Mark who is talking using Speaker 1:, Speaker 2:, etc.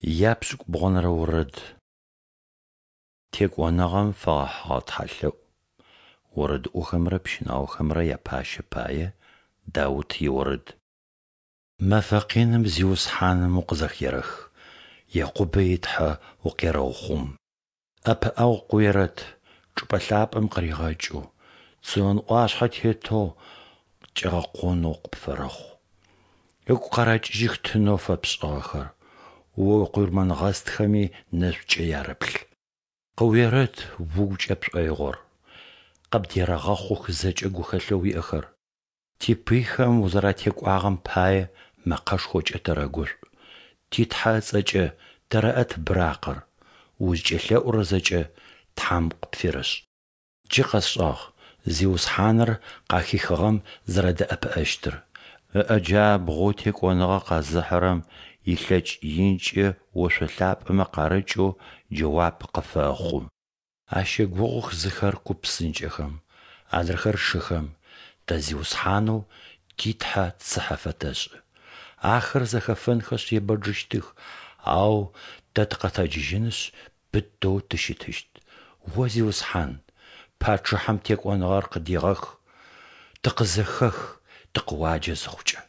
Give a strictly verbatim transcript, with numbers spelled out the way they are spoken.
Speaker 1: Япшӏыкӏубгъонэрэ орэд. Текӏоныгъэм фэгъэхьыгъэ тхьэлъэӏу. Орэдыӏохэмрэ пщынаохэмрэ япащэ пае Даут иорэд. Мэфэ къиным Зиусхьаным укъызэхерэх, Якъубэ и Тхьэ укъерэухъум. ӏэпыӏэгъу къыуерэт, чӏыпӏэ лъапӏэм къыригъэкӏэу, Цион ӏуашъхьэ тетэу кӏэгъэкъонэу къыпфэрэхъу. Ыгу къэрэкӏыжьых тынэу фэпшӏыгъэхэр, О уикъурмэнгъэстхэми нэшӏукӏэ ярэплъ. Къыуерэт угукӏэ пшӏоигъор, къыбдерэгъэхъух зэкӏэ гухэлъэу уиӏэхэр. Типыйхэм узэратекӏуагъэм пае мэкъэшхокӏэ тэрэгушӏу, ти Тхьэ ыцӏэкӏэ тэрэӏэт быракъыр, узкӏэлъэӏурэр зэкӏэ Тхьэм къыпферэшӏ. Джы къэсшӏагъ Зиусхьаныр къахихыгъэм зэрэдэӏэпыӏэщтыр, ыӏэ джабгъоу текӏоныгъэ къэзыхьырэм илъэкӏ инкӏэ ошъо лъапӏэмэ къарыкӏэу джэуап къыфэхъу. Ащэгугъух зыхэр ку псынкӏэхэм, адрэхэр шыхэм, тэ Зиусхьанэу ти Тхьэ цыхьэ фэтэшӏы. Ахэр зэхэфэнхэшъ ебэджыщтых, ау тэ тыкъэтэджыжьынышъ пытэу тыщытыщт. О Зиусхьан, пачъыхьэм текӏоныгъэр къыдегъэх, тыкъызэхэх тыкъыуаджэ зыхъукӏэ.